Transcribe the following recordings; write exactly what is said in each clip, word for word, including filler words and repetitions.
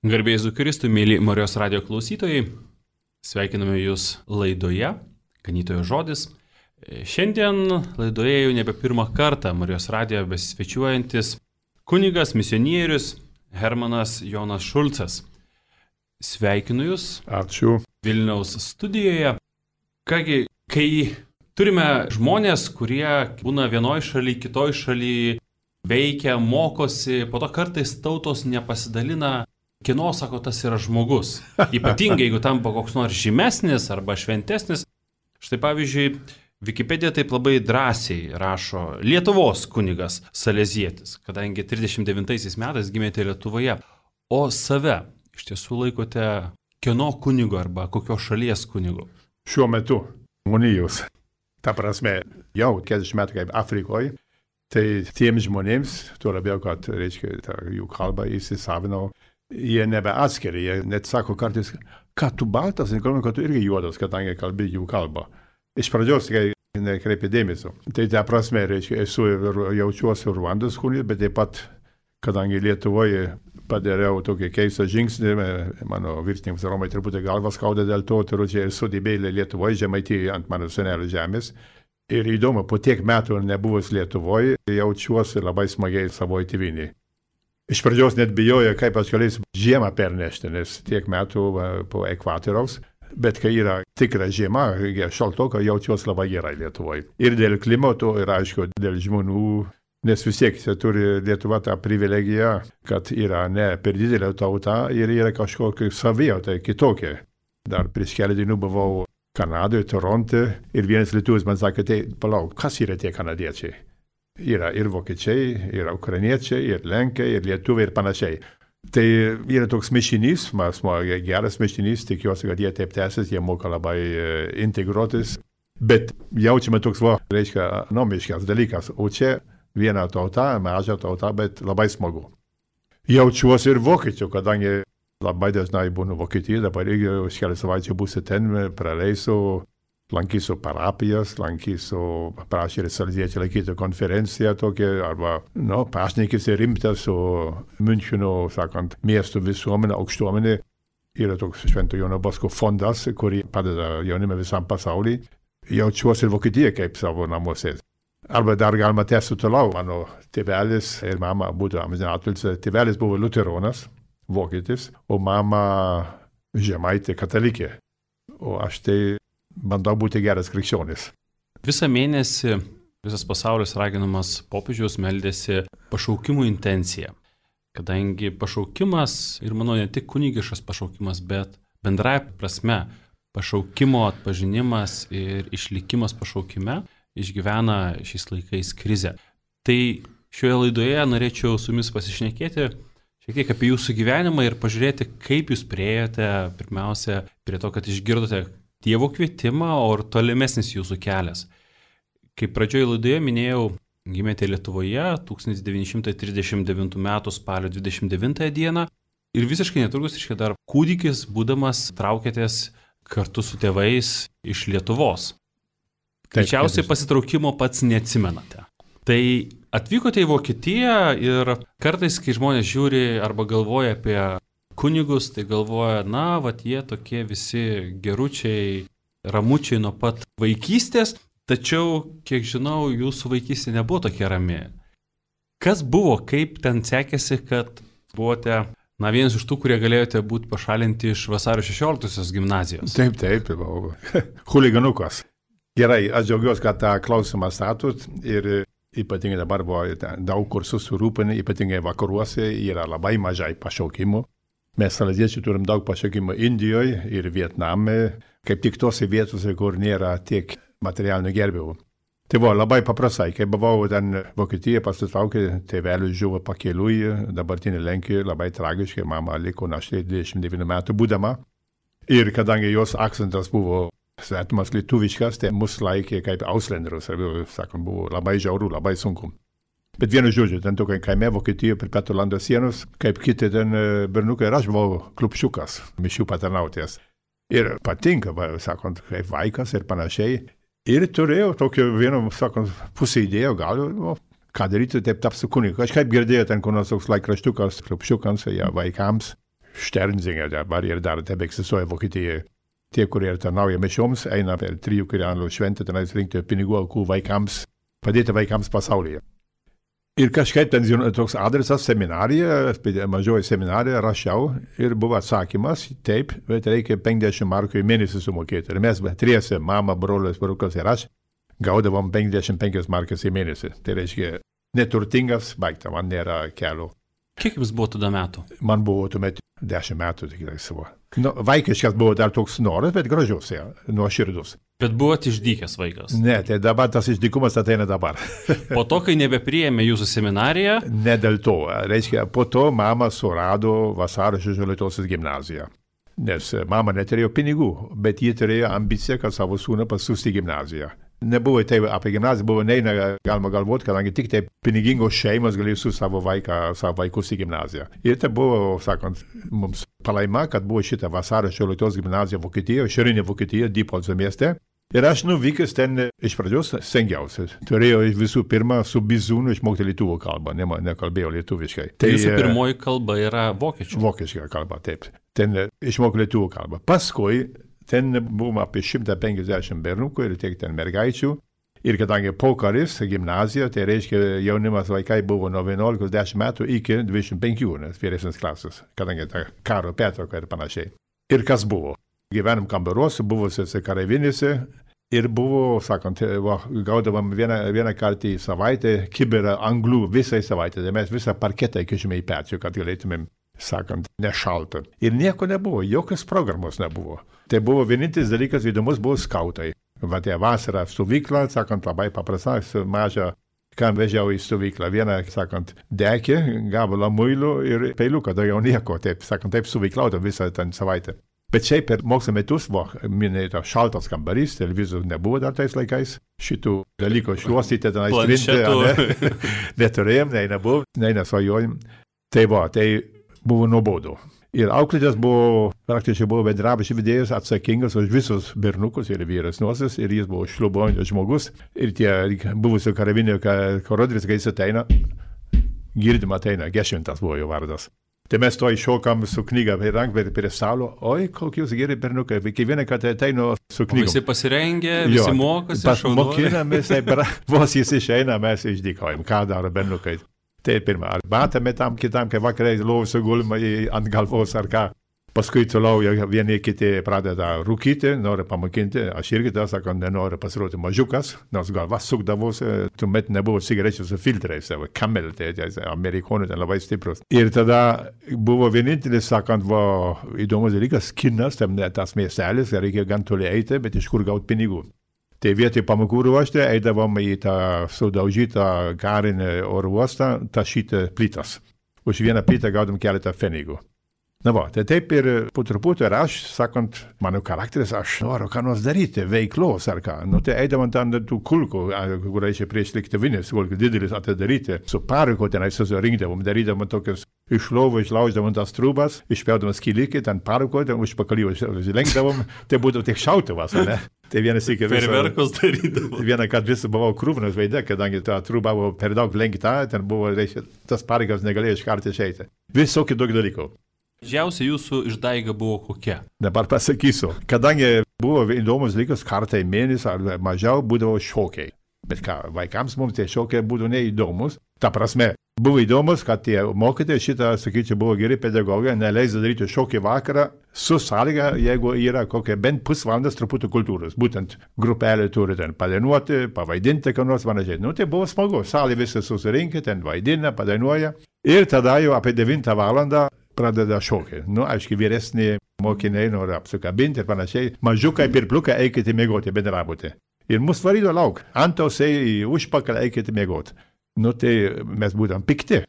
Garbė Jėzui Kristui, mėly Marijos radijo klausytojai, sveikiname Jūs laidoje, Ganytojo žodis. Šiandien laidoje jau nebe pirmą kartą Marijos radijo besisvečiuojantis kunigas, misionierius Hermanas Jonas Šulcas. Sveikinu Jūs. Ačiū. Vilniaus studijoje. Kągi, kai turime žmonės, kurie būna vienoj šaly, kitoj šaly, veikia, mokosi, po to kartais tautos nepasidalina, kieno, sako, tas yra žmogus. Ypatingai, jeigu tampa koks nors žymesnis arba šventesnis. Štai pavyzdžiui, Wikipedija taip labai drąsiai rašo Lietuvos kunigas Salezietis, kadangi trisdešimt devintaisiais metais gimėte Lietuvoje, o save iš tiesų laikote kieno kunigo arba kokios šalies kunigu? Šiuo metu monijos. Ta prasme, jau keturiasdešimt metų kaip Afrikoje, tai tiems žmonėms, tuo labiau, kad, reiškia, ta jų kalba įsisavinau, jie nebeatskiria, jie net sako kartais, kad tu baltas, nekalbame, kad tu irgi juodas, kadangi kalbi jų kalbą. Iš pradžios nekreipia dėmesio. Tai ta prasme, reiškia, esu ir jaučiuosi Ruandos kunigas, bet taip pat, kadangi Lietuvoje padariau tokį keistą žingsnį, mano viršininkas Romai truputį galvas skauda dėl to, turiu čia esu dibėlė Lietuvoje, Žemaitijoje ant mano senelio žemės. Ir įdomu, po tiek metų nebuvus Lietuvoje, jaučiuosi labai smagiai savoje tėvynėje. Iš pradžios net bijojo, kaip aš galėsiu žiemą pernešti, nes tiek metų po ekvatoriaus, bet kai yra tikra žiema, šaltoka, jaučiuosi labai gerai Lietuvoje. Ir dėl klimato, ir aišku, dėl žmonių, nes vis tiek turi Lietuva tą privilegiją, kad yra ne per didelė tauta ir yra kažkokia savijauta kitokia. Dar prieš keletą dienų buvau Kanadoje, Toronte ir vienas lietuvis man sakė, tai palauk, kas yra tie kanadiečiai? Yra ir vokiečiai, ir ukrainiečiai, ir lenkai, ir lietuviai, ir panašiai. Tai yra toks mišinys, mas geras mišinys, tikiuosi, kad jie taip tęsis, jie moka labai integruotis. Bet jaučiame toks, va, reiškia, nomiškas dalykas. O čia viena tauta, maža tauta, bet labai smagu. Jaučiuosi ir vokiečių, kadangi labai dažnai būnu Vokietijoje, dabar irgi už kelias savaičių būsiu ten, praleisiu. Lankysiu parapijas, lankysiu, prašė ir Saleziečiai laikyti konferenciją tokią, arba, nu, pašnekės ir rimtas su Müncheno, sakant, miestų visuomenė, aukštuomenė. Yra toks Švento Jono Bosko fondas, kurį padeda jaunimui visam pasauliui. Jaučiuosi ir Vokietijoje kaip savo namuose. Arba dar galima tęsti toliau. Mano tėvelis ir mama būtų amžinatilsį. Tėvelis buvo liuteronas, vokietis, o mama žemaitė katalikė. O aš tai bandau būti geras krikščionis. Visą mėnesį visas pasaulis raginamas popiežiaus meldėsi pašaukimų intenciją. Kadangi pašaukimas, ir manau ne tik kunigiškas pašaukimas, bet bendrąja prasme pašaukimo atpažinimas ir išlikimas pašaukime išgyvena šiais laikais krizę. Tai šioje laidoje norėčiau su jumis pasišnekėti šiek tiek apie jūsų gyvenimą ir pažiūrėti, kaip jūs priėjote pirmiausia prie to, kad išgirdote Dievo kvietimą, o ir tolimesnis jūsų kelias. Kaip pradžioje laidoje minėjau, gimėte Lietuvoje tūkstantis devyni šimtai trisdešimt devintų metų spalio dvidešimt devintąją dieną ir visiškai netrukus, reiškia, dar kūdikis, būdamas, traukėtės kartu su tėvais iš Lietuvos. Greičiausiai pasitraukimo pats neatsimenate. Tai atvykote į Vokietiją ir kartais, kai žmonės žiūri arba galvoja apie kunigus, tai galvoja, na, vat jie tokie visi geručiai, ramučiai nuo pat vaikystės, tačiau, kiek žinau, jūsų vaikystė nebuvo tokia rami. Kas buvo, kaip ten sekėsi, kad buvote, na, vienas iš tų, kurie galėjote būti pašalinti iš vasario šešioliktosios gimnazijos? Taip, taip, buvau chuliganukas. Gerai, aš džiaugiuosi, kad tą klausimą statut ir ypatingai dabar buvo daug kur susirūpinę, ypatingai vakaruose yra labai mažai pašaukimų. Mes saleziečiai turim daug pašaukimų Indijoje ir Vietname, kaip tik tose vietose, kur nėra tiek materialinių gerbėjų. Tai buvo labai paprastai, kai buvau ten Vokietijoje, pasitraukė, tėvelis žuvo pakeliui, dabartinė Lenkijoje, labai tragiškai, mama liko našlė dvidešimt devynių metų būdama. Ir kadangi jos akcentas buvo svetimas lietuviškas, tai mus laikė kaip auslenderius, sakant, buvo labai žiauru, labai sunku. Bet vienu žodžiu, ten tokia kaime Vokietijoje prie Petrolando sienos, kaip kiti ten bernukai, ir aš buvau klupšiukas, mišių patarnautojas. Ir patinka, va, sakant, kaip vaikas ir panašiai. Ir turėjau tokio vieno, sakant, pusę idėjo, gal, o, ką daryti, taip tapsiu kunigu. Kažkaip girdėjau ten, kur nors toks laikraštukas, klupšiukams, ja, vaikams. Sternsinger, dabar ir dar tebe egzistuoja Vokietijoje. Tie, kurie tarnauja mišioms, eina per trijų kirianų šventę, tenais rinkti pinigų aukų vaikams, padėti vaikams pasaulyje. Ir kažkaip ten toks adresas seminarija, mažoji seminarija, rašiau ir buvo atsakymas, taip, bet reikia penkiasdešimt markų į mėnesį sumokėti. Ir mes triese, mama, brolis, vyrukas ir aš, gaudavom penkiasdešimt penkias markas į mėnesį. Tai reiškia, neturtingas, baigta, man nėra kelio. Kiek jums buvo tada metų? Man buvo tuomet dešimt metų, tikrai savo. Nu, vaikiškas buvo dar toks noras, bet gražus, ja, nuoširdus. Bet buvote išdykęs vaikas? Ne, tai dabar tas išdykumas ateina dabar. Po to, kai nebepriėmė jūsų seminariją? Ne dėl to. Reiškia, po to mama surado Vasario šešioliktosios gimnaziją. Nes mama neturėjo pinigų, bet ji turėjo ambiciją, kad savo sūnų pasiųsti į gimnaziją. Nebuvo tai apie gimnaziją, buvo neina galima galvoti, kadangi tik tai pinigingos šeimos galėjo su savo, vaiką, savo vaikus į gimnaziją. Ir tai buvo, sakant, mums palaima, kad buvo šita Vasario šešioliktos gimnazija Vokietijoje, šiaurinė Vokietija, Diepolco mieste. Ir aš nuvykęs ten iš pradžios stengiausi. Turėjau visų pirma su bizūnu išmokti lietuvų kalbą, ne, nekalbėjau lietuviškai. Tai jūsų pirmoji kalba yra vokiečių? Vokiška kalba, taip. Ten išmokau lietuvų kalbą. Paskui ten buvom apie šimtą penkiasdešimt bernukų ir tiek ten mergaičių. Ir kadangi pokaris, gimnazija, tai reiškia jaunimas vaikai buvo nuo vienuolikos dešimt metų iki dvidešimt penkių, nes vyresnės klasės, kadangi ta karo pertrauka ir panašiai. Ir kas buvo? Gyvenom kambaruose, buvusiuose kareivinėse ir buvo, sakant, va, gaudavom vieną, vieną kartą į savaitę kibirą anglų visai savaitę. Tai mes visą parketą įkišime į pečių, kad galėtumėm, sakant, nešaltą. Ir nieko nebuvo, jokios programos nebuvo. Tai buvo vienintelis dalykas įdomus, buvo skautai. Va, tai vasarą stovyklą, sakant, labai paprasta, mažą, kam vežiau į stovyklą. Vieną, sakant, dekį, gabalą muilų ir peiliuką, daugiau nieko, taip, sakant, taip stovyklauta visą ten savaitę. Bet šiaip per mokslo metus buvo minėta šaltas kambarys, televizijos nebuvo dar tais laikais. Šitų dalykų šluostyti, tenais trinti, ne, neturėjom, nei nebuvo, nei nesvajojom. Tai va, tai buvo nuobodu. Ir auklėtas buvo, praktiškai buvo bendrabučio vedėjas atsakingas už visus bernukus ir vyresniuosius, ir jis buvo šlubuojantis žmogus. Ir tie buvusio karavinio korodris, kai jis ateina, girdim ateina, Gešvintas buvo jo vardas. Tai mes to iššokam su knyga per ranką prie stalo. Oi, kokie jūs geri berniukai. Kiekvieną kartą ateinu su knyga. Visi pasirengę, visi jo, mokosi. Mokinamės, vos jis išeina, mes išdykojam. Ką daro berniukai? Tai pirmą, arbatą metam kitam, kai vakarai lovose gulima ant galvos ar ką. Paskui toliau vieni kiti pradeda rūkyti, nori pamokinti. Aš irgi tą sakau, nenoriu pasirodyti mažiukas, nors galva sukdavosi, tuomet nebuvo cigarečių su filtrais, Camel, tai amerikonų ten labai stiprus. Ir tada buvo vienintelis, sakant, va, įdomus dalykas, kinas, tam tas miestelis, reikia gan toli eiti, bet iš kur gauti pinigų. Tai vietoj pamokų ruošti, eidavom į tą sudaužytą karinį oro uostą, tašyti plytas. Už vieną plytą gaudom keletą pfenigų. Na va, tai taip ir po truputį ir aš, sakant, mano charakteris, aš noriu ką nors daryti, veiklos ar ką. Nu, tai eidavom ten tų kulkų, kur reikia prieš lėktuvinės, kulkų didelis atidaryti, su pariko tenai susirinkdavom, darydavom tokius iš lovų, išlauždavom tas trūbas, išpjaudavom skilikį, ten pariko, ten užpakalį užlenkdavom, tai būtų tik šautuvas, ne? Tai vienas iki viso. Ferverkus darydavom. Vieną kartą visą buvau krūvnas veide, kadangi ta trūba buvo per daug lenkta, ten buvo, reiškia, tas parikas negalėjo iš karto išeiti. Visokių daug dalykų. Didžiausia jūsų išdaiga buvo kokia? Dabar pasakysiu. Kadangi buvo įdomus dalykas, kartą į mėnesį ar mažiau būdavo šokiai. Bet ką, vaikams mums tie šokiai būtų neįdomus. Ta prasme, buvo įdomus, kad tie mokytojai šitą, sakyčiau, buvo geri pedagogai, neleis daryti šokį vakarą su sąlyga, jeigu yra kokia bent pusvalandas truputį kultūros. Būtent grupelė turi ten padainuoti, pavaidinti, ką nors panašiai. Nu, tai buvo smagu. Salė visi susirinkę, ten vaidina, padainuoja. Ir tada jau apie devintą valandą pradeda šokį. Nu, aiškiai, vyresni mokiniai nori apsikabinti ir panašiai. Mažiukai pirpliukai eikite mėgoti, bendrabuti. Ir mus varydo lauk. Antausiai į užpakalį eikite mėgoti. Nu, tai mes būtum pikti.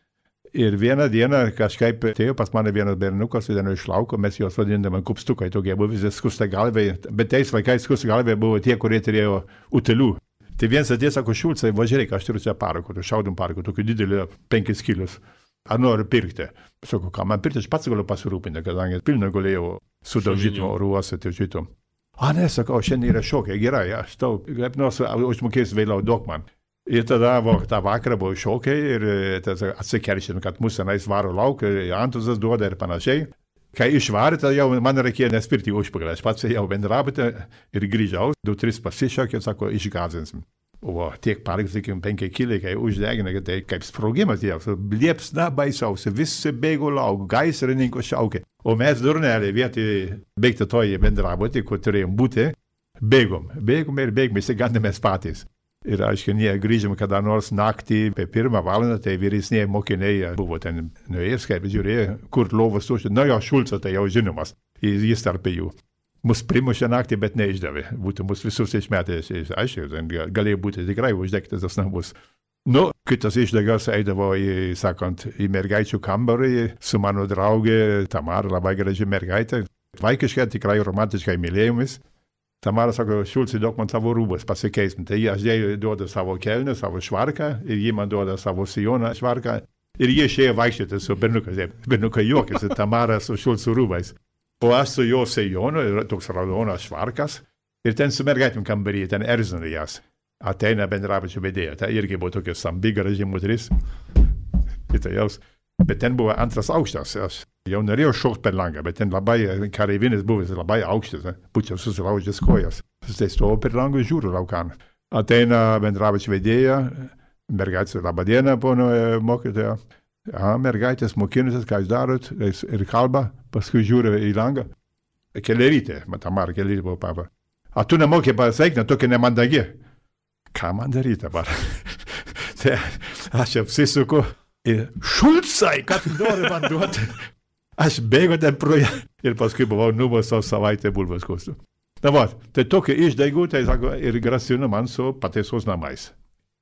Ir vieną dieną kažkaip atėjo pas mane vienas berniukas, vienas iš lauko, mes juos vadindame kupstukai, tokie buvo visi skusta galviai. Bet tais laikais skusta galviai buvo tie, kurie turėjo utėlių. Tai vienas atėjo, sako, Šulcai, važiuok, aš turiu čia parako, šaudom parako, tokį didelį penkis kilius. Ar noriu pirkti? Sako, ką man pirkti, aš pats galiu pasirūpinti, kadangi pilną galėjau sudaužyti oro uostą, tai šitom. A, ne, sakau, šiandien yra šokiai, gerai, aš tau, kaip nors užmokėsiu vėliau daug man. Ir tada va, tą vakarą buvo šokiai ir atsikeršėm, kad mūsų tenais varo lauk, antuzas duoda ir panašiai. Kai išvarė, tai jau man reikėjo nespirti užpakalį. Aš pats jau bendrabutę ir grįžau, du, tris pasišokė, sako, išgazinsim. O tiek parkas, sakykim, penki kiliai, kai uždegina, tai kaip sprogimas jau, liepsna baisiausia, visi bėgo lauk, gaisrininko šaukė. O mes durneliai vietoj baigti toje bendrabutį, kur turėjom būti, bėgom, bėgom ir bėgom, įsigandėmės patys. Ir aiškiai, nie grįžom kada nors naktį, apie pirmą valandą, tai vyresniai mokiniai buvo ten nuėjęs, kaip žiūrėjo, kur lovas tušti. Na jo, Šulco tai jau žinomas, jis, jis tarp jų. Mus primušė naktį, bet neišdavė. Būtų mus visus išmetė, aiškiai, galėjo būti tikrai uždegtas tas namus. Nu, kitas išdegas eidavo į, sakant, į mergaičių kambarį su mano draugė Tamara, labai graži mergaitė. Vaikiškai tikrai romantiškai mylėjomis. Tamara sako, Šulcai, duok man savo rūbas, pasikeisim. Tai aš jai duodu savo kelnę, savo švarką, ir ji man duoda savo sijoną švarką. Ir jie išėjo vaikščioti su berniukas. Berniukai juokėsi, Tamara su Šulcų rūbais. O aš su jo sijonu, toks raudonas švarkas. Ir ten su mergaitėm kambarį, ten erzino jas. Ateina bendrabučio vedėja. Tai irgi buvo tokia sambi, graži moteris. Kitajaus. Bet ten buvo antras aukštas. Aš jau norėjau šokti per langą, bet ten labai, kareivinis buvęs labai aukštas. Būčiau susilaužęs kojas. Tai stovo per langą ir žiūriu laukan. Ateina bendrabučio vedėja. Mergaitė, laba diena, pono mokytoja. A, mergaitės mokinusis, ką jūs darot, ir kalba, paskui žiūri į langą. Kelerytė, Tamara Kelerytė buvo papa. A tu nemokė pasveikti, tokia nemandagi. Ką man daryti dabar? Tai aš apsisuku ir Šulcai, ką tu nori man duoti? Aš bėgo ten pro ją ir paskui buvau nubaustas savaitę bulvės kostu. Na va, tai tokia išdaigų, tai sako, ir grasino man su pataisos namais.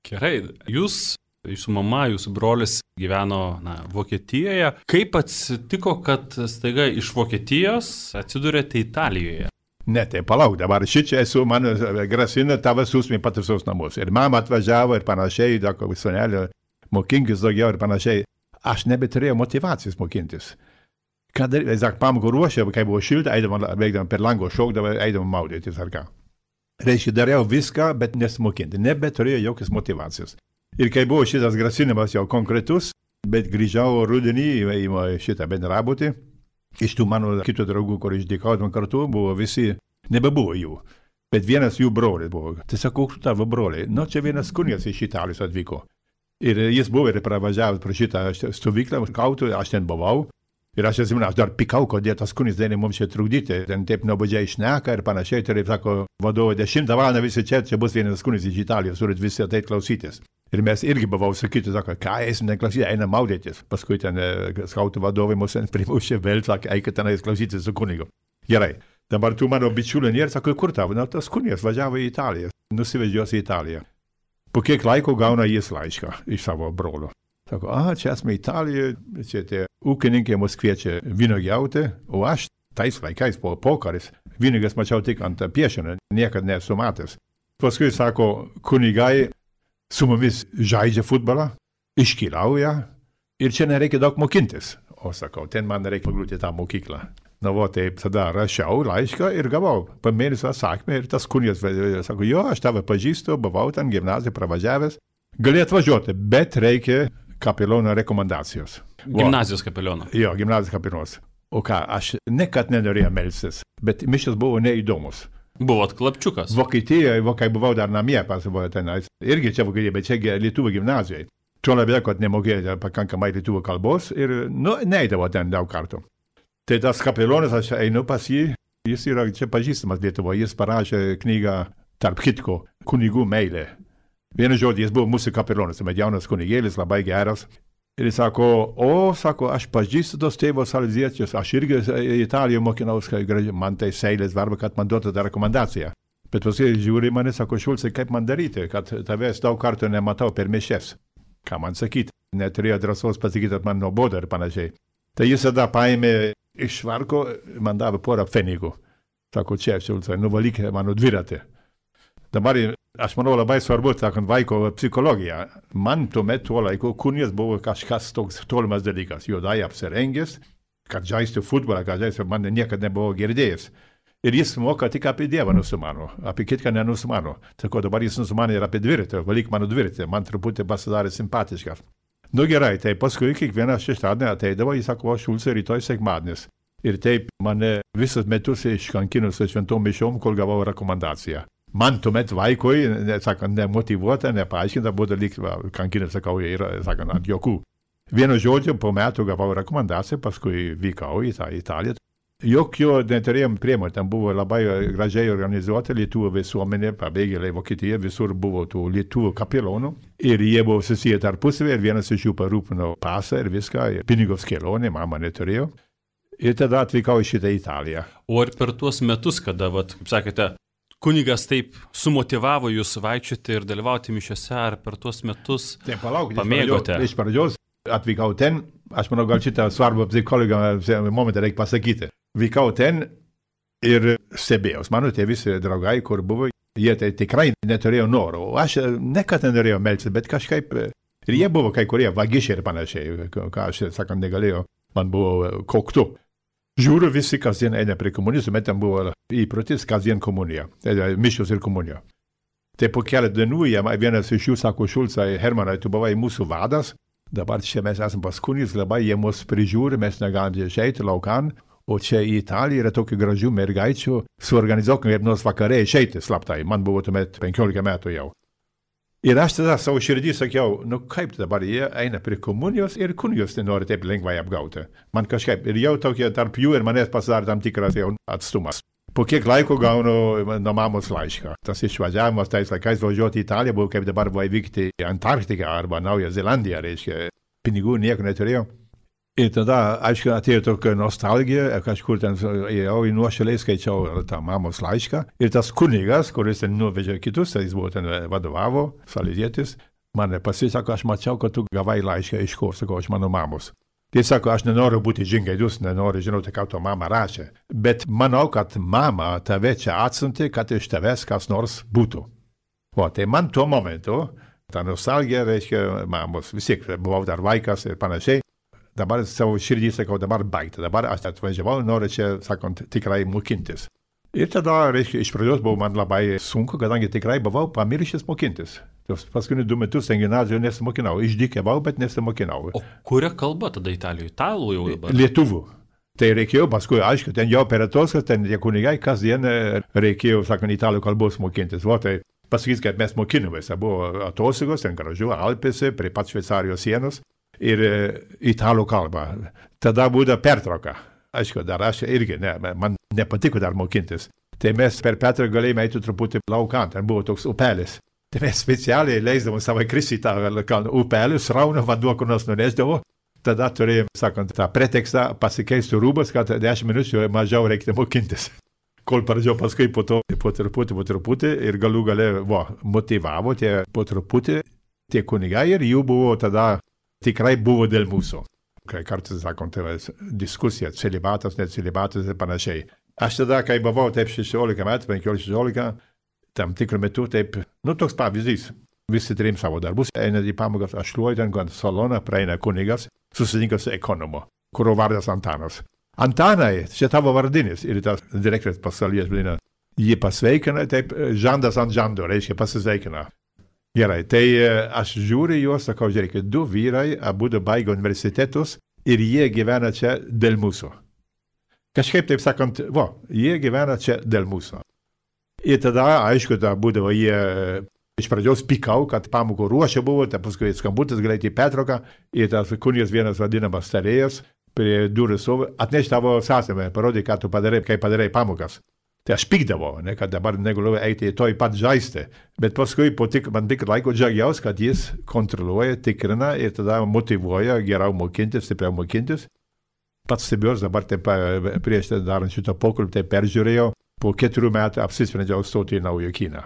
Gerai, jūs... Jūsų mama, jūsų brolis gyveno na, Vokietijoje. Kaip atsitiko, kad staiga iš Vokietijos atsidūrėte Italijoje? Ne, tai palauk, dabar šičia esu, man grasina tavas susmė pataisos namus. Ir mama atvažiavo ir panašiai, dako visonelio, mokinkis daugiau ir panašiai. Aš nebeturėjau motivacijos mokintis. Kad, sak, pamokų ruošė, kai buvo šilta, eidama, veikdama per lango šokdama, eidama maudytis ar ką. Reiškia, dariau viską, bet nesimokinti. Nebeturėjau jokios motivacijos. Ir kai buvo šitas grasinimas jau konkretus, bet grįžau rudenį į šitą bendrabutį, iš tų mano kitų draugų, kur išdėkautum kartu, buvo visi, nebebuvo jų, bet vienas jų brolis buvo. Tai sakau, kur tavo broliai? Nu, čia vienas kunigas iš Italijos atvyko. Ir jis buvo ir pravažiavęs pro šitą stovyklą, kautų, aš ten buvau. Ir aš atsimenu, aš dar pikau, kodėl tas kunis dėlė mums čia trukdyti, ten taip nuobodžiai šneka ir panašiai, tai sako, vadovo, dešimtą valandą visi čia, čia bus vienas kunis iš Italijos, turit visi ateit klausytis. Ir mes irgi buvau sakyti, sako, ką eisim ten klausyti, einam maudytis. Paskui ten skautų vadovai mus primušė vėl, sakė, eikit tenais klausytis su kunigu. Gerai, dabar tu mano bičiulė nėra, sako, kur tavo? Na, tas kunigas važiavo į Italiją, nusivežios į Italiją. Po kiek laiko gauna jis laišką iš savo brolio. Sako, a, čia esame Italijoje, čia tie ūkininkai mus kviečia vynuogiauti, o aš tais laikais po pokaris vynuoges mačiau tik ant piešinio, niekad nesu matęs. Paskui sako, kunigai su mumis žaidžia futbolą, iškeliauja ir čia nereikia daug mokintis. O sakau, ten man reikia pagrūti tą mokyklą. Na, va, taip tada rašiau laišką ir gavau po mėnesio atsakymą ir tas kunigas sako, jo, aš tave pažįstu, buvau ten gimnaziją pravažiavęs, gali atvažiuoti, bet reikia kapeliono rekomendacijos. Gimnazijos kapeliono. Jo, gimnazijos kapelionas. O ką, aš nekad nenorėjau melstis, bet mišios buvo neįdomus. Buvot klapčiukas. Vokietijoje, kai buvau dar namie, pasibuvo tenais. Irgi čia Vokietijoje, bet čia Lietuvų gimnazijoje. Tuo labiau, kad nemokėjo pakankamai lietuvų kalbos ir, nu, neidavo ten daug kartų. Tai tas kapelionas, aš einu pas jį, jis yra čia pažįstamas Lietuvoje, jis parašė knygą Tarp kitko, kunigų meilė. Vienu žodžiu, jis buvo mūsų kapelionas, bet jaunas kunigėlis, labai geras. Ir jis sako, o, sako, aš pažįstu tos tėvos salziečius, aš irgi Italijoje mokinaus, man tai seilės varba, kad man duotų tą rekomendaciją. Bet paskui žiūri mane, sako, Šulcai, kaip man daryti, kad tavęs daug kartų nematau per mišias. Ką man sakyti? Neturėjo drąsos pasakyti, kad man nuobodu ir panašiai. Tai jis tada paėmė iš švarko, man davė porą pfenigų. Sako, čia, Šulcai, nuvalyk mano dviratį. Dabar, aš manau, labai svarbu, sakant, vaiko psichologija. Man tuomet tuo laiku kunigas buvo kažkas toks tolimas dalykas. Juodai apsirengęs, kad žaistų futbolą, kad žaistų, man niekada nebuvo girdėjęs. Ir jis moka tik apie Dievą nusimano, apie kitką nenusimano. Sako, dabar jis nusimano ir apie dviratį, valyk mano dviratį, man truputį pasidarė simpatiškas. Nu gerai, tai paskui kiekvieną šeštadienį ateidavo, jis sako, Šulcai, rytoj sekmadienis. Ir taip mane visus metus iškankino su šventom mišiom, kol gavau rekomendaciją. Man tuomet vaikui, sakant, nemotyvuota, nepaaiškinta, buvo lyg kankinė, sakau, yra, sakant, ant jokų. Vienu žodžiu, po metų gavau rekomendaciją, paskui vykau į tą Italiją. Jokio neturėjom priemonių, ten buvo labai gražiai organizuota lietuvių visuomenė, pabėgėliai Vokietija, visur buvo tų lietuvių kapelonų. Ir jie buvo susiję tarpusavį, ir vienas iš jų parūpino pasą ir viską, ir pinigos kelionė, mama neturėjo. Ir tada atvykau į šitą Italiją. O ar per tuos metus, kada, vat, kaip sakėte, kunigas taip sumotivavo jūs vaikščioti ir dalyvauti mišiose, ar per tuos metus tai, palauk, pamėgote? Iš pradžios atvykau ten, aš manau, gal šitą svarbą psichologą momentą reikia pasakyti. Vykau ten ir stebėjau. Mano tie visi draugai, kur buvo, jie tai tikrai neturėjo noro. O aš nekad nenorėjau melsti, bet kažkaip, ir jie buvo kai kurie vagišiai ir panašiai, ką aš, sakant, negalėjau, man buvo koktu. Žiūriu, visi kasdien eina prie komunijos, bet ten buvo įprotis kasdien komunija, mišios ir komunija. Tai po keletą dienų, vienas iš jų sako, Šulcai, Hermanai, tu buvai mūsų vadas, dabar čia mes esame pas kunigais, labai jie mus prižiūri, mes negalime išeiti laukan, o čia į Italiją yra tokių gražių mergaičių, suorganizuokime kaip nors vakarė išeiti slaptai, man buvo tuomet penkiolika metų jau. Ir aš tada savo širdį sakiau, nu kaip dabar jie eina prie komunijos ir kunigos nenori taip lengvai apgauti. Man kažkaip, ir jau tokie tarp jų ir manęs pasidarė tam tikras jau atstumas. Po kiek laiko gaunu nuo mamos laišką. Tas išvažiavimas tais laikais važiuoti į Italiją buvo kaip dabar vykti į Antarktiką arba Naują Zelandiją, reiškia, pinigų nieko neturėjau. Ir tada, aišku, atėjo tokia nostalgija, kažkur ten jau į nuošaliai skaičiau tą mamos laišką. Ir tas kunigas, kuris ten nuvežė kitus, jis buvo ten vadovavo, salezietis, mane pasisako, aš mačiau, kad tu gavai laišką iš kur, sakau, iš mano mamos. Jis sako, aš nenoriu būti žingeidus, nenoriu žinoti, ką to mama rašė. Bet manau, kad mama tave čia atsiuntė, kad iš tavęs kas nors būtų. O tai man tuo momentu, ta nostalgija, reiškia, mamos, vis tiek buvau dar vaikas ir panašiai. Dabar savo širdį sakau, dabar baigta. Dabar aš atvažiavau, noriu čia, sakant, tikrai mokintis. Ir tada, reiškia, iš pradžios buvo man labai sunku, kadangi tikrai buvau pamiršęs mokintis. Tos paskutinius du metus ten gimnazijoje nesimokinau. Išdykėvau, bet nesimokinau. O kuria kalba tada Italijoje? Italų jau dabar? Lietuvų. Tai reikėjo paskui, aišku, ten jau per atostgas, ten tie kunigai kasdien reikėjo, sakant, italų kalbos mokintis. O tai pasakys, kad mes mokinomės. Buvo atostogos, ten gražiu, Alpėse, prie pat Šveicarijos sienos. Ir italų kalbą. Tada būda pertrauka. Aišku, dar aš irgi, ne, man nepatiko dar mokintis. Tai mes per Petrą galėjome eiti truputį laukan, ten buvo toks upelis. Tai mes specialiai leisdavom savo kristi tą upelį, srauna vanduo, kur nors nunešdavo. Tada turėjom, sakant, tą pretekstą pasikeisti rūbas, kad dešimt minučių mažiau reiktų mokintis. Kol pradžiau paskui po to, po truputį, po truputį ir galų gale, vo, motivavo tie po truputį tie kunigai ir jų buvo tada tikrai buvo dėl mūsų. Kai kartais, sakom, tai diskusija, celibatas, necelibatas ir panašiai. Aš tada, kai buvau taip šešiolika metų, penkiolika šešiolika, tam tikrų metų taip, nu toks pavyzdys. Visi trim savo darbus, eina į pamokas, aš šluoju ten, kad saloną praeina kunigas, susitinka su ekonomu, kurio vardas Antanas. Antanai, čia tavo vardinis, ir tas direktorius pasaulyje vadina, jį pasveikina, taip, žandas ant žando, reiškia pasisveikina. Gerai, tai aš žiūriu juos, sakau, žiūrėkit, du vyrai, abudu baigė universitetus ir jie gyvena čia dėl mūsų. Kažkaip taip sakant, vo, jie gyvena čia dėl mūsų. Ir tada, aišku, tada būdavo jie iš pradžios pikau, kad pamokų ruošia buvo, tai paskui skambutis greitai pertrauka ir tas kunigas vienas vadinamas starėjas prie durų stovi, atneš tavo sąsame, parodė, ką tu padarai, kaip padarai pamokas. Tai aš pykdavau, ne, kad dabar negaliu eiti į toj pat žaisti. Bet paskui po tik, man tik laiko džiaugiausi, kad jis kontroliuoja, tikrina ir tada motivuoja geriau mokintis, stipriau mokintis. Pats stebiuosi dabar taip prieš darant šitą pokalbį, tai peržiūrėjau, po keturių metų apsisprendžiau stoti į naują kiną.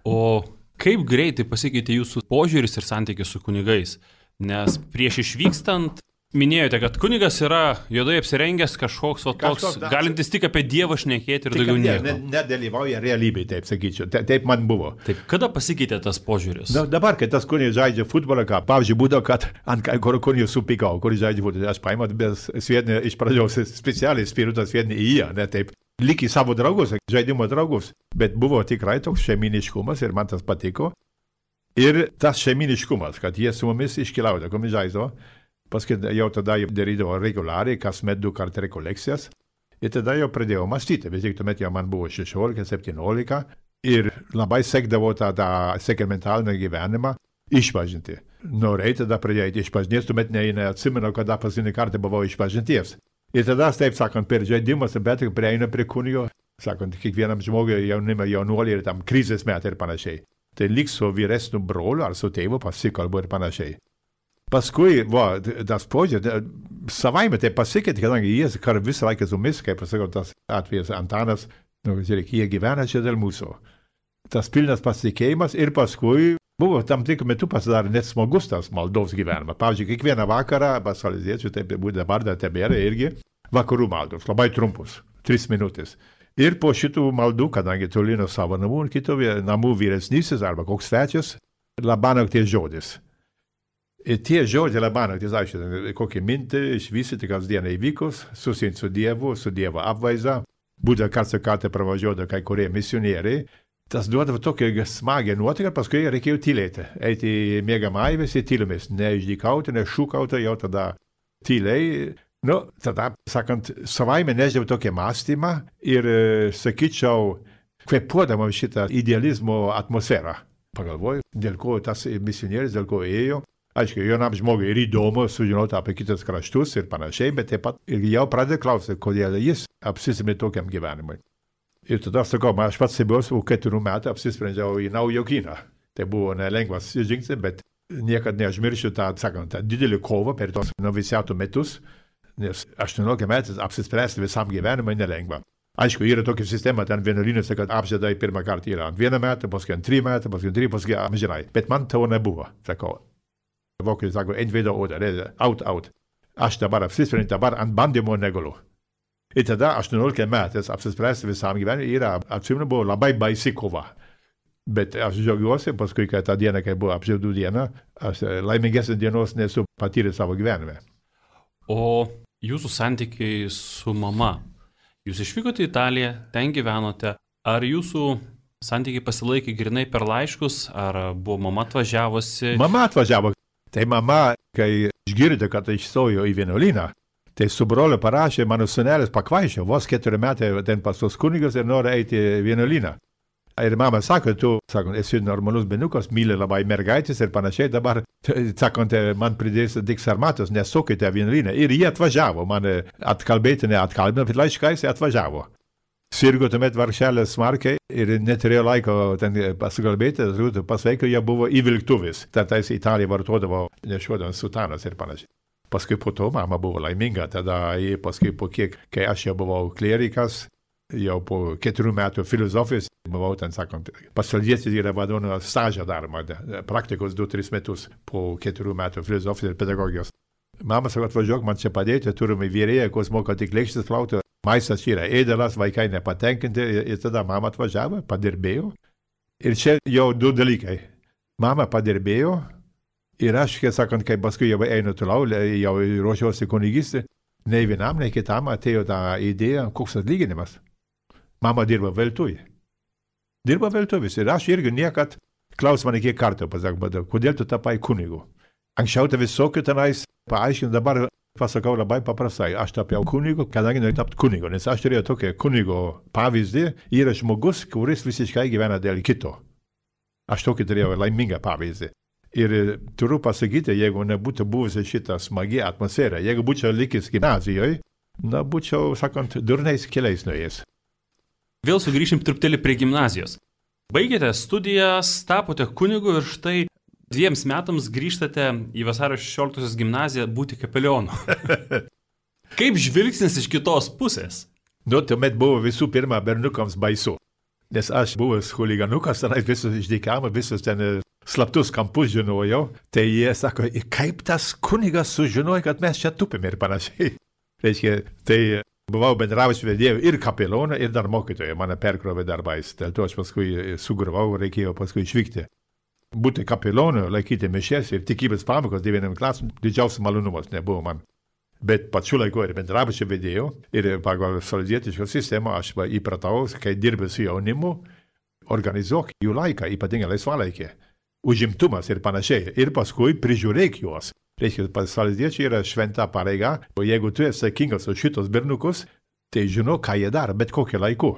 O kaip greitai pasikeitė jūsų požiūris ir santykis su kunigais? Nes prieš išvykstant minėjote, kad kunigas yra juodai apsirengęs kažkoks, o toks, kažkoks, galintis tik apie Dievą šnekėti ir daugiau nieko. Ne, nedalyvauja realybėje, taip sakyčiau. Te, taip man buvo. Taip, kada pasikeitė tas požiūris? Da, dabar, kai tas kunigas žaidžia futbolą, ką, pavyzdžiui, būdavo, kad ant kai kur kunigas supykau, kuris žaidžia futbolą. Aš paėmau, bet sviedinį iš pradžios specialiai spiritas sviedinį į ją, ne taip. Lyg į savo draugus, žaidimo draugus. Bet buvo tikrai toks šeiminiškumas ir man tas patiko. Ir tas šeiminiškumas, kad jie su mumis iškeliauja, kuomet žaisdavo. Paskui jau tada jau darydavo reguliariai, kasmet du kartą rekolekcijas. Ir tada jau pradėjau mąstyti, vis tik tuomet jau man buvo šešiolika, septyniolika ir labai sekdavo tą, tą sakramentalinį gyvenimą išpažinti. Norėjau tada pradėti išpažinties, tuomet ne, neatsimenu, kada paskutinį kartą buvau išpažinties. Ir tada, taip sakant, per žaidimus, bet prieina prie kunigo, sakant, kiekvienam žmogui jaunimą, jaunuolį ir tam krizės metai ir panašiai. Tai lyg su vyresniu broliu ar su tėvu pasikalbu ir panašiai. Paskui, va, tas požiūrė, savaime tai pasikeitė, kadangi jis kar visą laiką su mumis, kaip pasakau, tas atvejas Antanas, nu, žiūrėk, jie gyvena čia dėl mūsų. Tas pilnas pasitikėjimas ir paskui buvo tam tikrų metų pasidarė net smagus tas maldos gyvenimas. Pavyzdžiui, kiekvieną vakarą, pasaliziečių, taip būtų dabar, dar tebėra irgi, vakarų maldos, labai trumpus, tris minutės. Ir po šitų maldų, kadangi toli nuo savo namų ir kitų namų vyresnysis arba koks svečias, labanakties žodis. Ir tie žodžiai labanaktis, aišku, kokią mintį išvystyti kasdieną įvykus, susitikti su Dievu, su Dievo apvaizda, būtent karts su kartą pravažiuodavo kai kurie misionieriai, tas duodavo tokią smagią nuotaiką, paskui reikėjo tylėti, eiti į miegamąjį visi tylomis, neišdykauti, nešūkauti, jau tada tyliai. Nu, tada, sakant, savaime neždėjau tokią mąstymą ir, sakyčiau, kvepuodama šitą idealizmo atmosferą. Pagalvoju, dėl ko tas misionierius, dėl ko ėjo. Aišku, jaunam žmogui ir įdomu sužinoti apie kitus kraštus ir panašiai, bet taip pat ir jau pradėjo klausyti, kodėl jis apsisprendė tokiam gyvenimui. Ir tada sakau, aš pats buvau keturių metų apsisprendžiau į naujokyną. Tai buvo nelengvas žingsnis, bet niekad neužmiršiu tą, sakant, tą didelį kovą per tos noviciatų metus, nes aštuoniolika metų apsispręsti visam gyvenimui nelengva. Aišku, yra tokia sistema, ten vienuolynuose, kad apžiedai pirmą kartą yra ant vieną metą, paskui ant trijų metų, paskui ant trijų, paskui amžinai. Bet man to nebuvo, sakau. Vokiečiai sako, entweder oder, out, out. Aš dabar apsisprendžiu, dabar ant bandymo negaliu. Ir tada aštuoniolika metais apsispręsti visam gyvenimui yra, atsimenu, buvo labai baisi kova. Bet aš džiaugiuosi, paskui, kad tą dieną, kai buvo apžiedų diena, aš laimingesnės dienos nesu patyręs savo gyvenime. O jūsų santykiai su mama? Jūs išvykote į Italiją, ten gyvenote. Ar jūsų santykiai pasilaikė grinai per laiškus, ar buvo mama atvažiavusi? Mama atvažiavo. Tai mama, kai išgirdo, kad išstojo į vienuolyną, tai su broliu parašė, mano sūnelis pakvaišė, vos keturi metai ten pas tos kunigas ir nori eiti į vienuolyną. Ir mama sako, tu, sakant, esi normalus berniukas, myli labai mergaitės ir panašiai, dabar, sakant, man pridės tik sarmatos, nesukite vienuolyną. Ir jie atvažiavo, mane atkalbėti, neatkalbino, bet laiškais atvažiavo. Sirgo tuomet vargšelės smarkiai ir neturėjo laiko ten pasikalbėti, pasveiko, jie buvo įvilktuvis. Tais Italija vartodavo nešuodant sutanas ir panašiai. Paskui po to mama buvo laiminga, tada paskui po kiek, kai aš jau buvau klerikas, jau po keturių metų filosofijos, buvau ten, sakant, pasaldietis yra vadovano stažą daroma, praktikos du tris metus po keturių metų filosofijos ir pedagogijos. Mama sako, atvažiuok man čia padėti, turime vyrėją, kuris moka tik lėkštis plauti. Maistas yra ėdalas, vaikai nepatenkinti ir tada mama atvažiavo, padirbėjo. Ir čia jau du dalykai. Mama padirbėjo ir aš, kai sakant, kai paskui jau einu toliau, jau ruošiausi kunigystį, nei vienam, nei kitam atėjo tą idėją, koks atlyginimas. Mama dirba veltui. Dirba veltuvis ir aš irgi niekad, klaus mane kiek kartų, pasakau, kodėl tu tapai kunigu. Anksčiau tai visokių tenais paaiškinu, dabar pasakau labai paprastai, aš tapiau kunigu, kadangi noriu tapti kunigu, nes aš turėjau tokią kunigo pavyzdį, yra žmogus, kuris visiškai gyvena dėl kito. Aš tokį turėjau laimingą pavyzdį. Ir turiu pasakyti, jeigu nebūtų buvusi šitą smagi atmosfera, jeigu būčiau likęs gimnazijoje, na, būčiau, sakant, durniais keliais nuėjęs. Vėl sugrįšim truputėlį prie gimnazijos. Baigėte studijas, tapote kunigu ir štai dviems metams grįžtate į vasario šešioliktosios gimnaziją būti kapelionu. Kaip žvilgsnis iš kitos pusės? Nu, tuomet buvo visų pirma bernukams baisu. Nes aš buvęs huliganukas, tenai visus išdykama, visus ten slaptus kampus žinojau. Tai jie sako, kaip tas kunigas sužinojo, kad mes čia tupime ir panašiai. Reiškia, tai buvau bendravęs vedėjų ir kapelioną, ir dar mokytoją. Mane perkrovė darbais. Dėl to aš paskui sugravau, reikėjo paskui išvykti. Būti kapelionu, laikyti mišias ir tikybės pamokos devyniam klasėm, didžiausias malonumas nebuvo man. Bet pačiu laiku ir bendrabučio vedėjau ir pagal salizietišką sistemą aš įpratau, kai dirbi su jaunimu, organizuok jų laiką, ypatingai laisvalaikį, užimtumas ir panašiai. Ir paskui prižiūrėk juos. Reiškia, pas saleziečiai yra šventa pareiga, o jeigu tu esi atsakingas už šitos berniukus, tai žino, ką jie daro, bet kokiu laiku.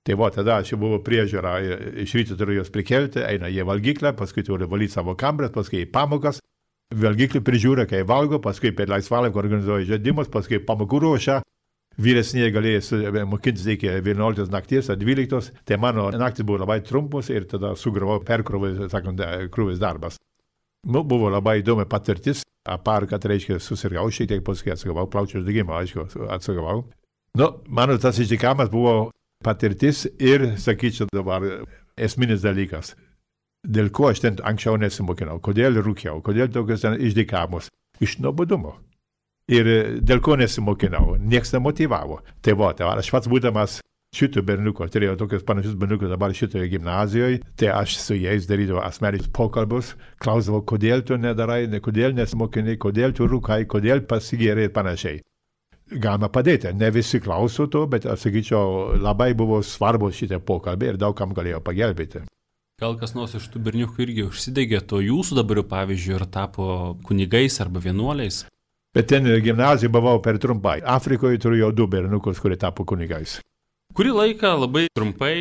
Tai va, tada čia buvo priežiūra, iš ryto turiu juos prikelti, eina jie valgyklę, paskui turi valyti savo kambarį, paskui į pamokas, valgyklį prižiūri, kai valgo, paskui per laisvalaikį organizuoja žaidimus, paskui pamokų ruošia. Vyresnieji galėjo mokintis iki vienuoliktos nakties ar dvyliktos, tai mano naktis buvo labai trumpos ir tada sugravau perkrovės, sakant, krūvis darbas. Nu, buvo labai įdomi patirtis, apar, kad reiškia susirgau šiek tiek, paskui atsigavau, plaučių uždegimą, aišku, atsigavau. Nu, mano tas išdykamas buvo patirtis ir, sakyčiau, dabar esminis dalykas. Dėl ko aš ten anksčiau nesimokinau, kodėl rūkiau, kodėl tokios ten išdykamus, iš nuobodumo. Ir dėl ko nesimokinau, nieks nemotyvavo. Tai va, tai aš pats būdamas šitų berniukų, turėjau tokius panašius berniukus dabar šitoje gimnazijoje, tai aš su jais darydavau asmeninius pokalbius, klausdavau, kodėl tu nedarai, kodėl nesimokinai, kodėl tu rūkai, kodėl pasigėrė ir panašiai. Galima padėti, ne visi klauso to, bet aš sakyčiau, labai buvo svarbus šitie pokalbiai ir daug kam galėjo pagelbėti. Gal kas nors iš tų berniukų irgi užsidegė to jūsų dabar, pavyzdžiui, ir tapo kunigais arba vienuoliais? Bet ten gimnazijoje buvau per trumpai. Afrikoje turėjau du berniukus, kurie tapo kunigais. Kurį laiką labai trumpai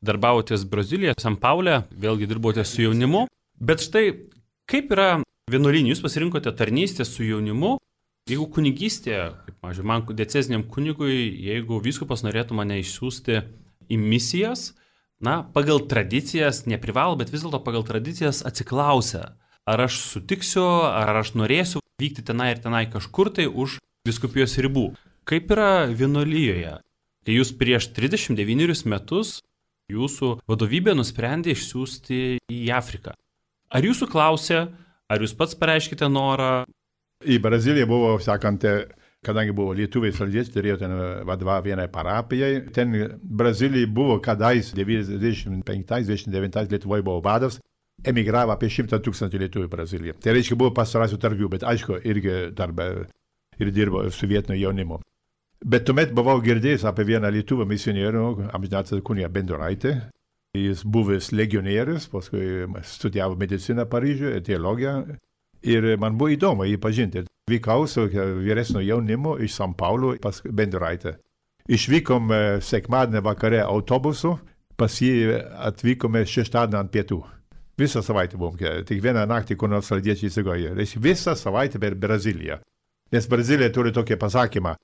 darbavotės Brazilijoje, San Paule, vėlgi dirbote su jaunimu. Bet štai, kaip yra vienuolyne, jūs pasirinkote tarnystę su jaunimu, jeigu kunigystė, kaip mažiau, man dieceziniam kunigui, jeigu vyskupas norėtų mane išsiųsti į misijas, na, pagal tradicijas, neprivalo, bet vis dėlto pagal tradicijas atsiklausia, ar aš sutiksiu, ar aš norėsiu vykti tenai ir tenai kažkur tai už vyskupijos ribų. Kaip yra vienuolijoje? Kai jūs prieš trisdešimt devynerius metus jūsų vadovybė nusprendė išsiųsti į Afriką. Ar jūsų klausė, ar jūs pats pareiškite norą? Į Braziliją buvo, sakant, kadangi buvo lietuviai saleziečiai, turėjo ten vadovauti vienai parapijai. Ten Brazilijai buvo kadais devyniasdešimt penktais devyniasdešimt devintais Lietuvoje buvo vadas. Emigravo apie šimtą tūkstančių lietuvių į Braziliją. Tai reiškia, buvo pastarąsių tarp jų, bet aišku, irgi darbą ir dirbo su vietiniu jaunimu. Bet tuomet buvau girdėjęs apie vieną lietuvą misionierių, amžinatilsį kunigą Benduraitį. Jis buvęs legionierius, paskui studijavo mediciną Paryžiuje, teologiją. Ir man buvo įdomu jį pažinti. Vykau su vyresnio jaunimu iš San Paulo pas Benduraitį. Išvykom sekmadienį vakare autobusu, pas jį atvykome šeštadienį ant pietų. Visą savaitę buvom, tik vieną naktį, kur nors saleziečiai įsigojo. Visą savaitę per Braziliją. Nes Brazilija turi tokį pasakymą.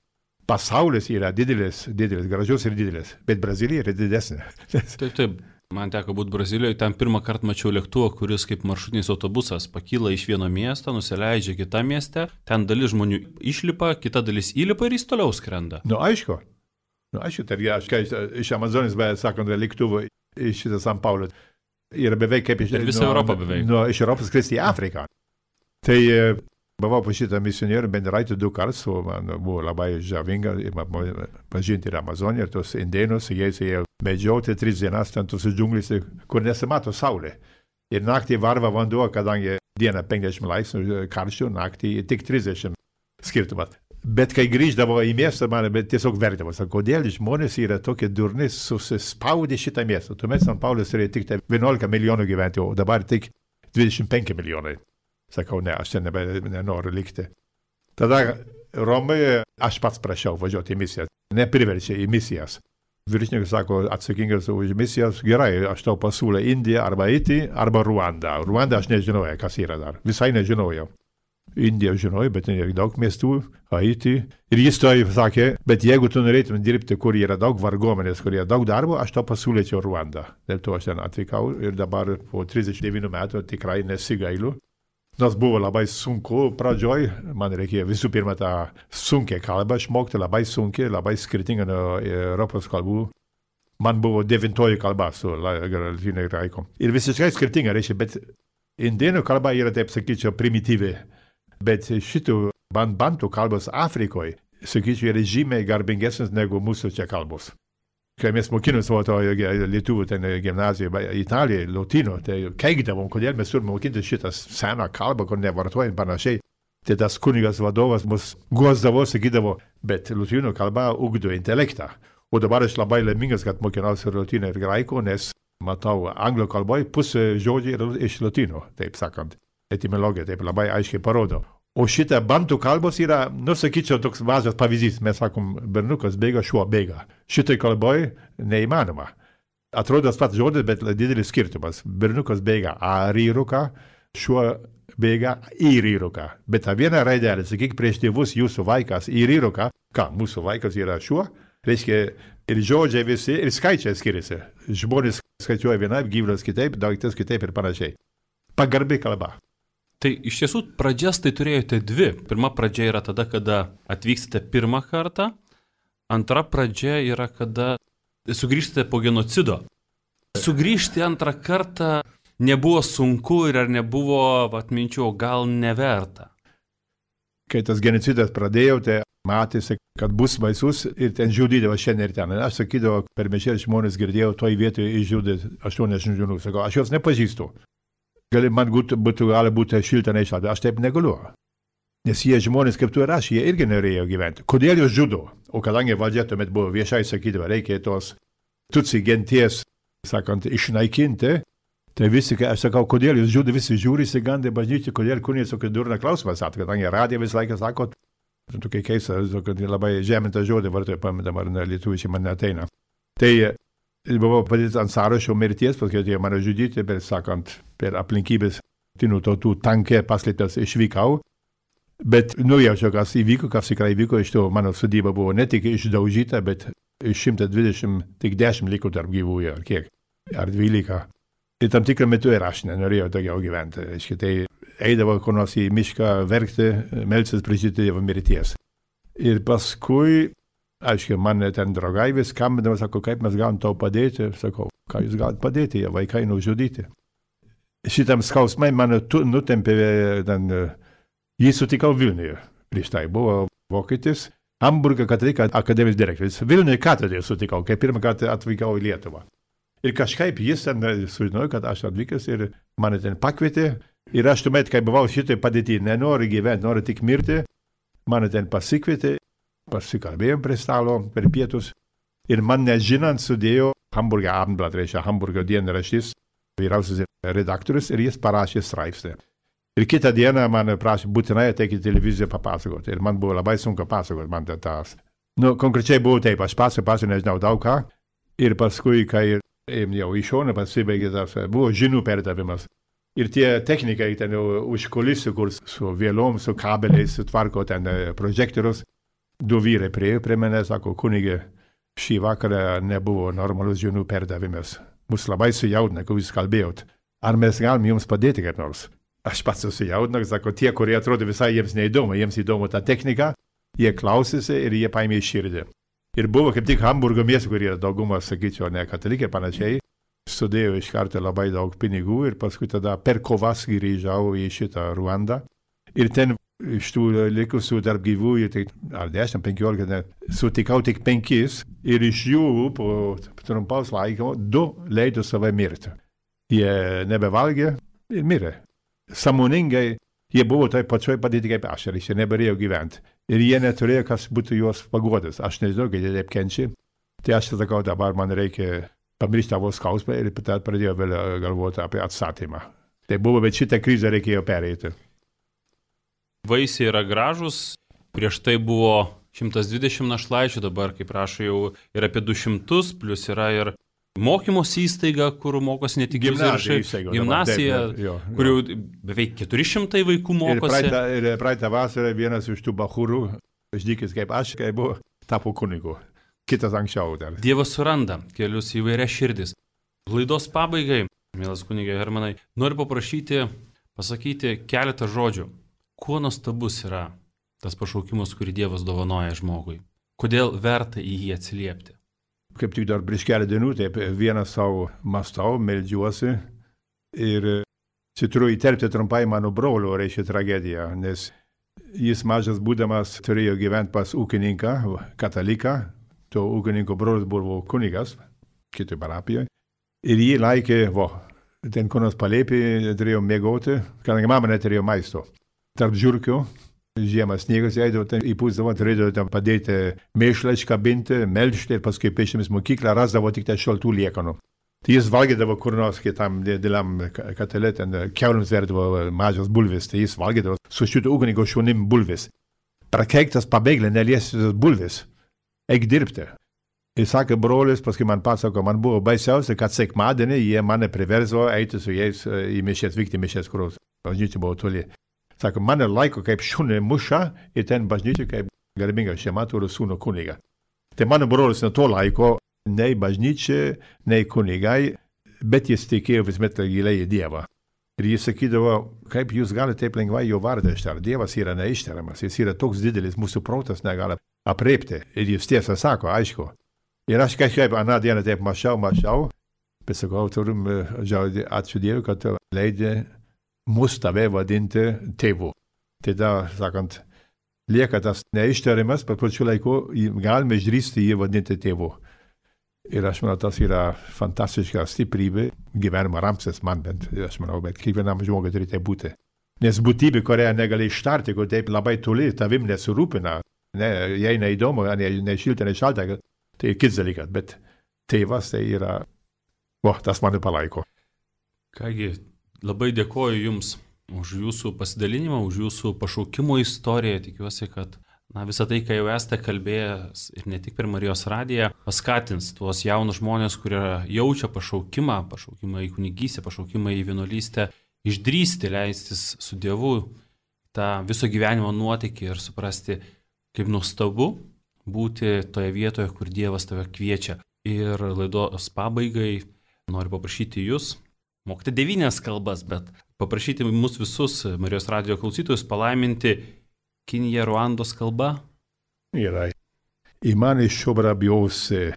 Pasaulis yra didelis, didelis, gražus ir didelis, bet Brazilija yra didesnė. Taip, taip. Man teko būti Brazilijoje, ten pirmą kartą mačiau lėktuvą, kuris kaip maršrutinis autobusas pakyla iš vieno miesto, nusileidžia kitą miestę, ten dalis žmonių išlipa, kita dalis įlipa ir jis toliau skrenda. Nu, aišku. Nu, aišku, tai aš, kai iš Amazonės, bet sakant, lėktuvų iš šitą San Paulą. Ir beveik kaip iš... Ir visą Europą beveik. Nu, iš Europos skristi į Afriką. Tai buvau pas šitą misionierių Benduraitį du kartus, man buvo labai žavinga pažinti ir Amazoniją, ir tos indėnus, jais ėjo medžioti tris dienas ten tos džiunglėse, kur nesimato saulė. Ir naktį varva vanduo, kadangi dieną penkiasdešimt laipsnių karščio, naktį tik trisdešimt skirtumas. Bet kai grįždavo į miestą, man tiesiog vertavo, sako, kodėl žmonės yra tokie durni, susispaudę šitą miestą. Tuomet San Paulas turėjo tik vienuolika milijonų gyventojų, o dabar tik dvidešimt penki milijonai. Sakau, ne, aš ten nebe, nenoriu likti. Tada Romoje aš pats prašiau važiuoti į misiją, nepriverčia į misijas. Viršininkas sako, atsakingas už misijas, gerai, aš tau pasiūlė Indiją arba Haitį, arba Ruandą. Ruandą aš nežinojau, kas yra dar, visai nežinojau. Indiją žinojau, bet yra daug miestų, Haitį. Ir jis to sakė, bet jeigu tu norėtum dirbti, kur yra daug varguomenės, kur yra daug darbo, aš to pasiūlyčiau Ruandą. Dėl to aš ten atvykau ir dabar po trisdešimt devynių metų tikrai nesigailu. Nors buvo labai sunku pradžioj, man reikėjo visų pirma tą sunkią kalbą išmokti, labai sunkiai, labai skirtingą nuo Europos kalbų. Man buvo devintoji kalba su lotynų graikom. Ir visiškai skirtinga, reiškia, bet indėnų kalba yra, taip sakyčiau, primityvi. Bet šitų bantų kalbos Afrikoje, sakyčiau, yra žymiai garbingesnis negu mūsų čia kalbos. Kai mes mokinomės to lietuvių ten gimnazijoje Italijoje, lotynų, tai keikdavom, kodėl mes turime mokinti šitą seną kalbą, kur nevartojam panašiai. Tai tas kunigas vadovas mus guosdavo, sakydavo, bet lotynų kalba ugdo intelektą. O dabar aš labai laimingas, kad mokinausi lotynų ir graikų, nes matau, anglų kalboje pusė žodžiai yra iš lotynų, taip sakant. Etimologija taip labai aiškiai parodo. O šitą bantų kalbos yra, nu, sakyčiau, toks mažas pavyzdys. Mes sakom, berniukas bėga, šuo bėga. Šitai kalboj neįmanoma. Atrodo tas pats žodis, bet didelis skirtumas. Berniukas bėga A ryruką, šuo bėga į ryruką. Bet tą vieną raidelę, sakyk, prieš tėvus jūsų vaikas į ryruką, ką, mūsų vaikas yra šuo, reiškia ir žodžiai visi, ir skaičiai skiriasi. Žmonės skaičiuoja vienaip, gyvulius kitaip, daiktas kitaip ir panašiai. Pagarbi kalba. Tai iš tiesų pradžias tai turėjote dvi. Pirma pradžia yra tada, kada atvykstate pirmą kartą. Antra pradžia yra, kada sugrįžtate po genocido. Sugrįžti antrą kartą nebuvo sunku ir ar nebuvo atminčiau, gal neverta. Kai tas genocidas pradėjo, tai matėsi, kad bus baisus ir ten žudydavo šiandien ir ten. Aš sakydavau, per mišias žmonės girdėjau, toj vietoje išžudė aštuoniasdešimt žmonių. Sakau, aš jos nepažįstu. Gali man būtų, būtų gali būti šilta neišlaidė, aš taip negaliu. Nes jie žmonės kaip tu ir aš, jie irgi norėjo gyventi. Kodėl jūs žudo? O kadangi valdžia tuomet buvo viešai sakydavo, reikia tos tutsi genties, sakant, išnaikinti, tai visi, aš sakau, kodėl jūs žudo, visi žiūri, įsigandė bažnyčiai, kodėl kunigas tokį durną klausimą sako, kadangi radija visą laiką sako, tokia keista, kad labai žemintą žodį vartoja, pamatama, ar lietuvičiai man neateina. Tai buvo padėti ant sąrašo mirties, paskui atėjo mane žudyti, bet sakant, per aplinkybės tinų tautų tankė paslėptas išvykau. Bet nujaučiau, kas įvyko, kas tikrai įvyko, iš to mano sodyba buvo ne tik išdaužyta, bet iš šimto dvidešimt tik dešimt liko tarp gyvųjų, ar kiek, ar dvylika. Ir tam tikrą metu ir aš nenorėjau daugiau gyventi. Aiškiai, tai eidavo kur nors į mišką verkti, melsis prašyti Dievo mirties. Ir paskui, aiškiai, man ten draugai vis skambindavo, sako, kaip mes galim tau padėti. Sakau, ką jūs galite padėti, jie vaikai nužudyti. Šitam skausmai mane nutempė, ten, jį sutikau Vilniuje. Prieš tai buvo vokietis, Hamburgo katalikų akademijos direktorius. Vilniuje katedroje sutikau, kai pirmą kartą atvykau į Lietuvą. Ir kažkaip jis ten sužinojo, kad aš atvykęs ir mane ten pakvietė. Ir aš tuomet, kai buvau šitai padėti, nenoriu gyventi, noriu tik mirti, mane ten pasikvietė. Pasikalbėjom prie stalo per pietus ir man nežinant sudėjo Hamburgo Abendblatt, reiškia Hamburgo dienraštis, vyriausias redaktorius ir jis parašė straipsnį. Ir kitą dieną man prašė būtinai ateiti į televiziją papasakoti ir man buvo labai sunku pasakoti man tas. Nu, konkrečiai buvo taip, aš pasakosiu, nežinau daug ką ir paskui, kai jau iš šono pasibaigė tas, buvo žinių perdavimas. Ir tie technikai ten už kulisų, kur su vėlom, su kabeliais sutvarko ten projektorius. Du vyrai priejo prie mane, sako, kunigė, šį vakarą nebuvo normalus žinių perdavimas. Mus labai sujaudina, kai jūs kalbėjot. Ar mes galim jums padėti kaip nors? Aš pats susijaudinau, sako, tie, kurie atrodo visai jiems neįdomu, jiems įdomu ta technika, jie klausėsi ir jie paėmė į širdį. Ir buvo kaip tik Hamburgo miestų, kurie daugumas, sakyčiau, ne katalikai panašiai, sudėjo iš karto labai daug pinigų ir paskui tada per kovas grįžau į šitą Ruandą. Ir ten iš tų likusių tarp gyvųjų, tai ar dešimt, penkiolika, sutikau tik penkis ir iš jų po trumpaus laiko du leido save mirti. Jie nebevalgė ir mirė. Sąmoningai jie buvo taip pačioj padėti kaip aš ir jie neberėjo gyventi. Ir jie neturėjo, kas būtų juos paguodęs. Aš nežinau, kad jie taip kenčia. Tai aš sakau, dabar man reikia pamiršti tavo skausmą ir tada pradėjau vėl galvoti apie atstatymą. Tai buvo, bet šitą krizę reikėjo pereiti. Vaisiai yra gražus, prieš tai buvo šimtas dvidešimt našlaičių, dabar, kaip rašo, jau yra apie du šimtus, plus yra ir mokymos įstaiga, kur mokosi ne tik gimnazija, gimnazija, kur jau beveik keturi šimtai vaikų mokosi. Ir praeitą, ir praeitą vasarą vienas iš tų bachūrų, ždykis kaip aš, kai buvo, tapo kunigu. Kitas anksčiau dar. Dievas suranda kelius įvairias širdis. Laidos pabaigai, mielas kunige Hermanai, noriu paprašyti, pasakyti keletą žodžių. Kuo nuostabus yra tas pašaukimas, kurį Dievas dovanoja žmogui? Kodėl verta į jį atsiliepti? Kaip tik dar prieš keletą dienų, taip vieną savo mąstau, meldžiuosi ir čia turiu įterpti trumpai mano brolio, reiškia tragediją, nes jis mažas būdamas turėjo gyventi pas ūkininką, kataliką, to ūkininko brolis buvo kunigas, kitoj parapijoje, ir jį laikė, vo, ten kur nors palėpį turėjo mėgoti, kadangi mama neturėjo maisto. Tarp žiurkių, žiemas sniegas eidavo, įpūsdavo, turėdavo ten padėti mėšlą iškabinti, melžti ir paskui pėsčiomis mokyklą rasdavo tik tai šaltų liekanų. Tai jis valgydavo kur nors kitam dideliam katele, ten keuliams verdavo mažas bulvis, tai jis valgydavo su šitų ugnigo šunim bulvis. Prakeiktas pabėglė, neliesius bulvis. Eik dirbti. Ir sakė brolis, paskui man pasako, man buvo baisiausia, kad sekmadienį jie mane priverzo eiti su jais į mišės, vykti mišės, kur bažnyčia buvo toli. Sako, mane laiko kaip šunį muša ir ten bažnyčia kaip garbinga šeima turi sūnų kunigą. Tai mano brolis nuo to laiko nei bažnyčia, nei kunigai, bet jis tikėjo visuomet giliai į Dievą. Ir jis sakydavo, kaip jūs galite taip lengvai jo vardą ištarti. Dievas yra neištariamas, jis yra toks didelis, mūsų protas negali apreipti. Ir jis tiesą sako, aišku. Ir aš kažkaip aną dieną taip mačiau, mačiau, bet sakau, turim ačiū Dievui, kad leidė mus tave vadinti tėvu. Tai da, sakant, lieka tas neištariamas, bet pačiu laiku galime išdrįsti jį vadinti tėvu. Ir aš manau, tas yra fantastiška stiprybė, gyvenimo ramstis man bent, aš manau, bet kiekvienam žmogui turi tai būti. Nes būtybė, kurią negali ištarti, kur taip labai toli tavim nesurūpina, ne, jai neįdomu, ne, ne šilta, ne šalta, tai kits dalykas, bet tėvas tai yra, o, tas mane palaiko. Kągi, labai dėkoju Jums už Jūsų pasidalinimą, už Jūsų pašaukimo istoriją, tikiuosi, kad Na, visą tai, ką jau esate kalbėjęs ir ne tik per Marijos radiją, paskatins tuos jaunus žmonės, kurie jaučia pašaukimą, pašaukimą į kunigystę, pašaukimą į vienuolystę, išdrįsti leistis su Dievu tą viso gyvenimo nuotykį ir suprasti, kaip nuostabu būti toje vietoje, kur Dievas tave kviečia. Ir laidos pabaigai noriu paprašyti Jūs, mokyti devynias kalbas, bet paprašyti mus visus Marijos radijo klausytojus palaiminti Kinija Ruandos kalba? Yra. Imani shobra biose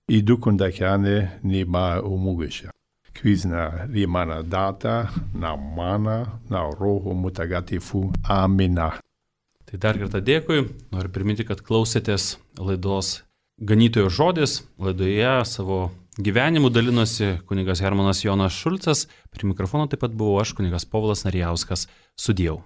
i dukundakane ni ma umugisha. Kvizna rimana data, na mana, na roho mutagatifu. Amina. Tai dar kartą dėkui. Noriu priminti, kad klausėtės laidos Ganytojo žodis. Laidoje savo gyvenimu dalinosi kunigas Hermanas Jonas Šulcas. Prie mikrofono taip pat buvau aš, kunigas Povilas Narijauskas. Sudieu.